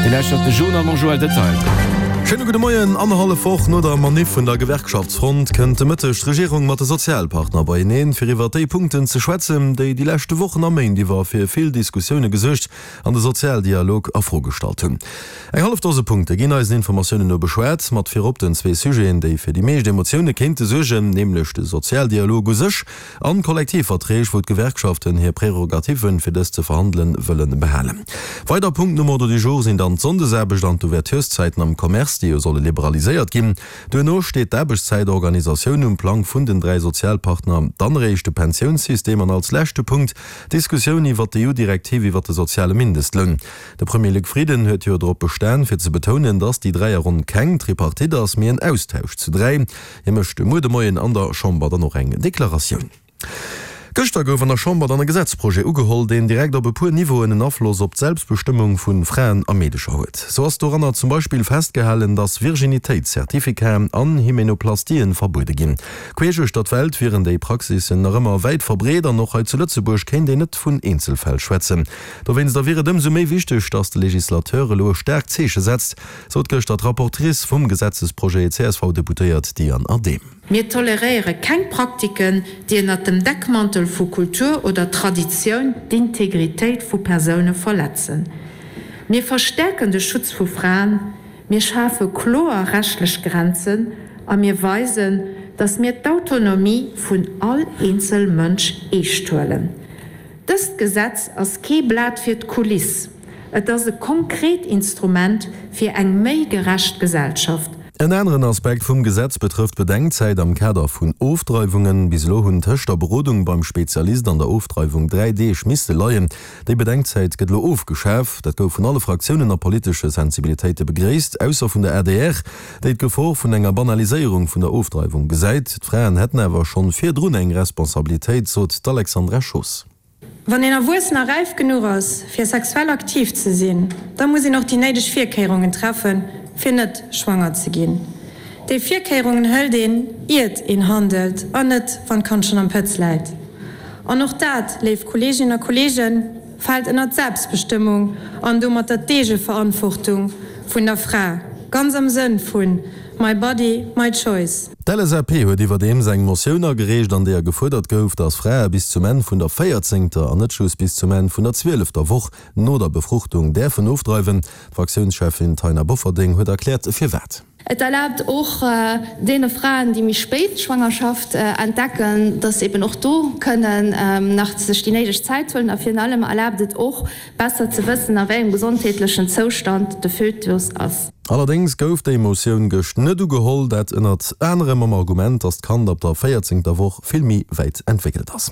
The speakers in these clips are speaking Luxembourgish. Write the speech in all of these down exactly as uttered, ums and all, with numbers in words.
Dir lauschtert de Journal mam Joël Detail. Schéine gudde Moien. Annerhallef Woch no der Maniff vun der Gewerkschaftsfront kënnt de Mëtteg d'Regierung mat de Sozialpartner beieneen, fir iwwer déi Punkten ze schwätzen, déi déi leschte Wochen a Méint iwwer fir vill Diskussioune gesuergt an de Sozialdialog a Fro gestallt hunn. Eng hallef Dose Punkte ginn eisen Informatiounen no beschwat, mat virop den zwee Sujeten, déi fir déi meescht Emotioune kéinte suergen, nämlech de Sozialdialog u sech an d'Kollektivverträg, wou d'Gewerkschaften hir Prerogativen, fir dës ze verhandelen, wëlle behalen. Weider Punkten um Ordre du jour sinn dann d'Sonndesaarbecht an d'Ouvertureszäiten am Commerce, déi jo solle liberaliséiert ginn. Duerno steet d'Aarbechtszäitorganisatioun um Plang vun den dräi Sozialpartner, dann eréischt de Pensiounssystem an als leschte Punkt d'Diskussioun iwwert d'EU-Direktiv iwwert de soziale Mindestloun. De Premier Luc Frieden huet jo drop bestan, fir ze betounen, datt déi Dräierronn keng Tripartite ass, mee en Austausch zu dräi. Hie mécht muer de Moien an der Chamber dann och eng Deklaratioun. Gëschter gouf an der Chamber dann e Gesetzprojet ugeholl, deen direkt op e puer Niveauen en Afloss op d'Selbstbestëmmung vu Fraen a Meedecher huet. Sou ass doranner zum Beispill festgehalen, dass Virginitéitscertificaten an Hymenoplastien verbuede ginn. Queesch uechter d'Welt wieren déi Praxissen nach ëmmer wäit verbreet an och hei zu Lëtzebuerg kéint een net vun Eenzelfäll schwätzen. Dowéinster wier et ëmsou méi wichteg, dass de Legislateur elo e staarkt Zeeche setzt, sot gëschter d'Rapportrice vum Gesetzesprojet, d'CSV-Deputéiert Diane Adehm. Mir toleréiere keng Praktiken, déi ënnert dem Deckmantel vu Kultur oder Traditioun d'Integritéit vu Persoune verletzen. Mir verstäerken de Schutz vu Fraen, mir schafe kloer rechtlech Grenzen a mir weisen, dass mir d'Autonomie vun all eenzel Mënsch eescht huelen. Dëst Gesetz ass kee Blat fir d'Kuliss, et ass e konkret Instrument fir eng méi gerecht Gesellschaft. En aneren Aspekt vum Gesetz betrëfft d'Bedenkzäit am Kader vun Ofdreiwungen. Bis elo hunn tëscht der Berodung beim Spezialist an der Ofdreiwung dräi Deeg misste leien. Déi Bedenkzäit gëtt elo ofgeschaf. Dat gouf vun alle Fraktiounen a politesche Sensibilitéite begréisst, ausser vun der adr, déi d'Gefor vun enger Banaliséierung vun der Ofdreiwung gesäit. D'Fraen hätten awer schonn virdrun eng Responsabilitéit, sot d'Alexandra Schoos. Wann een erwuessen a räif genuch ass, fir sexuell aktiv ze sinn, da muss een och déi néideg Virkéierungen treffen, fir net schwanger ze ginn. Déi Virkéierungen hëlt een, iert een handelt, an net, wann d'Kand schonn am Pëtz läit. An och dat, léif Kolleeginnen a Kolleegen, fält ënnert d'Selbstbestëmmung an domatter d'Eegeverantwortung vun der Fra, ganz am Sënn vun My body, my choice. D'LSAP huet iwwerdeems eng Motioun agereecht, an deeër gefuerdert gouf, datt Frae bis zum Enn vun der véierzéngter an net just bis zum Enn vun der zwielefter Woch no der Befruchtung däerfen ofdreiwen. D'Fraktiounscheffin Taina Bofferding huet erkläert, firwat. Et erlaabt och deene Fraen, déi méi spéit d'Schwangerschaft entdecken, dass se eben och do kënnen nach sech déi néideg Zäit huelen. A virun allem erlaabt et och, besser ze wëssen, a wéi engem gesondheetlechen Zoustand de Fötus ass. Allerdéngs gouf déi Motioun gëscht net ugeholl, dat ënnert anerem mam Argument, datt d'Kand ab der véierzéngter Woch vill méi wäit entwéckelt ass.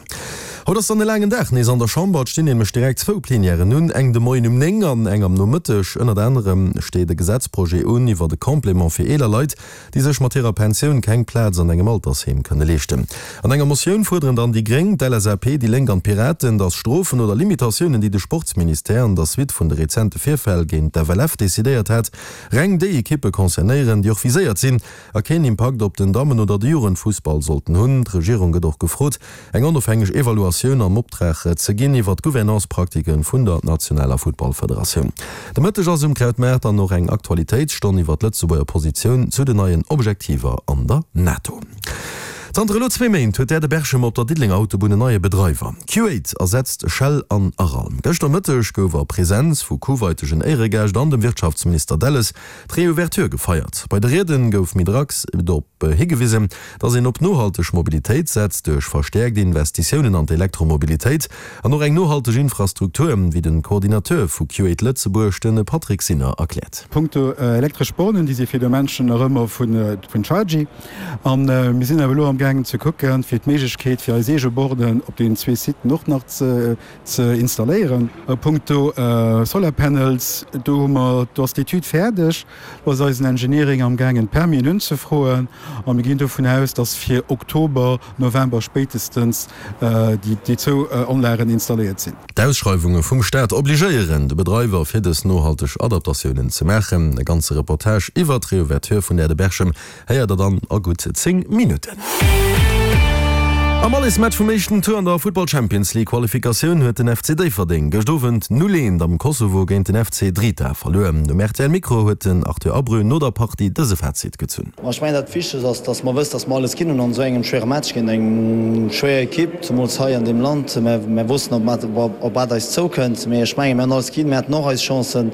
Haut ass dann e laangen Dag nees an der Chamber. Et stinn nämlech direkt zwou Plenièren un, eng de Moien um néng an eng am Nomëtteg. Ënnert anerem steet e Gesetzprojet un iwwert e Complément fir eeler Leit, déi sech mat hirer Pensioun keng Plaz an engem Altersheem kënne leeschten. An enger Motioun fuerderen dann déi Gréng, d'LSAP, déi Lénk an d'Piraten, datt Strofen oder Limitatiounen, déi de Sportsministère an der Suite vun de rezente Virfäll géint d'FLF decidéiert hat, reng déi Ekippe concernéieren, déi och viséiert sinn a keen Impakt op den Dammen oder de Jugendfussball sollten hunn. D'Regierung gëtt och gefrot, eng onofhängeg Evaluatioun an Optrag ze ginn iwwer d'Gouvernance-Praktike vun der nationaler Futtballfederatioun. De Mëtteg ass um Krautmaart dann och eng Aktualitéitsstonn iwwer d'Lëtzebuerger Positioun zu den neien Objektiver an der NATO. Zanter elo zwee Méint huet d'Air de Berchem op der Diddelenger Autobunn en neie Bedreiwer. Q-Aid ersetzt Shell an Aral. Gëschter Mëtteg gouf a Presenz vu kuwaitegen Éieregäscht an dem Wirtschaftsminister Delles d'Reouverture gefeiert. Bei de Rieden gouf méi dacks drop higewisen, datt een op nohalteg Mobilitéit setzt, duerch verstäerkt Investitiounen an d'Elektromobilitéit an och eng nohalteg Infrastruktur, wéi de Coordinateur vu Q-Aid Lëtzebuerg, de Patrick Sinner, erkläert. Punkto elektresch Bornen, déi si fir de Menschen nach ëmmer vun Chargy. A mir sinn awer elo amgaangen ze kucken, fir d'Méiglechkeet fir eis eege Borden op deenen zwee Siten och nach ze installéieren. A punkto Solar Panels, do hu mer, do ass d'Etüd fäerdeg, do ass eisen Engineering amgaangen d'Permisen unzefroen a mir ginn dovun aus, dass fir Oktober, November spéitestens déi zwou Anlagen installéiert sinn. D'Ausschreiwunge vum Staat obligéieren de Bedreiwer fir dës nohalteg Adaptatiounen ze maachen. E ganze Reportage iwwert d'Reouverture vun der de Berchem héiert der dann a gutt zéng Minutten. Am Allesmatch vum éischten Tour an der Futtball Champions League Qualifikatioun huet den F C Déifferdeng gëscht Owend null eent am Kosovo géint den F C Drita verluer. Um R T L Mikro huet den Arthur Abreu no der Partie dëse Fazit gezunn. Ech mengen dat Wichtegst ass, datt mer wëssen, datt mer alles ginn hunn an esou engem schwéiere Match géint eng schwéier Ekipp, zemools hei an deem Land. Mer wossten op wat eis zoukënnt, mee ech mengen mir hunn alles ginn, mir haten och eis Chancen.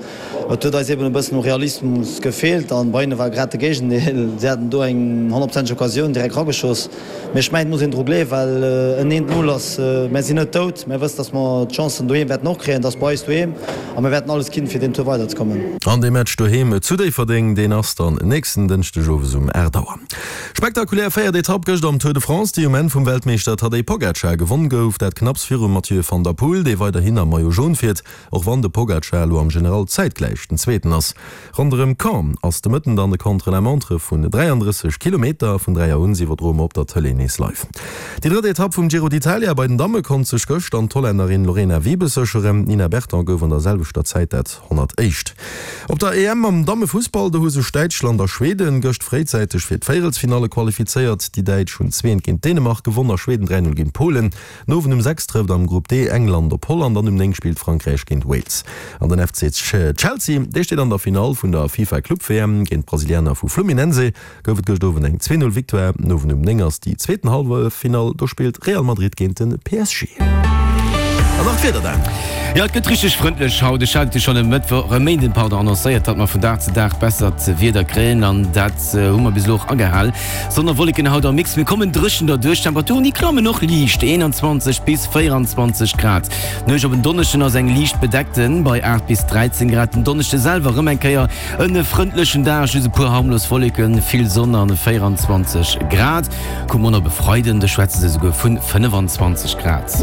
Et huet eis eben e bëssen u Realismus gefeelt an bei hinne war grad de Géigendeel. Si haten do eng honnertprozenteg Occasioun direkt rageschoss. Mee ech mengen et muss een dru gleewen, well en eent Null ass, mär sinn net dout, mär wëssen, datt mer d'Chancen doheem wäerten och kréien, et ass bei eis doheem a mir wäerten alles ginn, fir deen Tour weiderzekommen. An dee Match doheem zu Déifferdeng, deen ass dann nächsten Dënschdeg owes um aacht Auer. Spektakulär véiert Etapp gëscht am Tour de France, déi um Enn vum Weltmeeschter Tadej Pogacar gewonn gouf, dat knapps virum Mathieu van der Poel, dee weiderhin am Maillot Jaune fiert, och wann de Pogacar elo am General zäitgläich den Zweeten ass. Ronderëm Caen ass de Mëtten dann de Contre-la-montre vun dräiandrësseg Kilometer. Vun dräi Auer un iwwerdroe mer op der Tëlee nees live. Déi drëtt Etapp vum Giro d'Italia bei den Damme konnt sech gëscht dann d'Hollännerin Lorena Wiebes sécheren. D'Nina Berton gouf an der selwechter Zäit dat honnertéischt. Op der E M am Dammefussball, do hu sech Däitschland a Schweden gëscht fréizäiteg fir d'Véierelsfinalle qualifizéiert. Déi Däitsch hunn zwee eent géint Dänemark gewonn a Schweden dräi null géint Polen. Den Owend um sechs trëfft am Grupp D England op Holland an um néng spillt Frankräich géint Wales. An den F C Chelsea, dee steet an der Finall vun der FIFA Club W M. Géint d'Brasilianer vu Fluminense gouf et gëscht Owend eng zwee null Victoire. Den Owend um néng ass déi zweeten Halleffinall, do spillt Real Madrid géint de P S G. An nach d'Wieder dann. Jo, et gëtt richteg frëndlech haut. Ech hat et jo schonn e Mëttwoch, e Méinden, pardon, annoncéiert, datt mer vun Dag zu Dag bessert Wieder kréien an dat hu mer bis elo och agehal. Sonn a Wolleken haut am Mix, mir kommen dréchen derduerch. D'Temperaturen, déi klammen och liicht, eenanzwanzeg bis véieranzwanzeg Grad. D'Nuecht op en Donneschden ass eng liicht bedeckten bei aacht bis dräizéng Grad. Den Donneschde selwer erëm eng Kéier en frëndlechen Dag, just e puer harmlos Wolleken, vill Sonn an véieranzwanzeg Grad. Kucke mer op e Freiden, do schwätze se esouguer vun fënnefanzwanzeg Grad.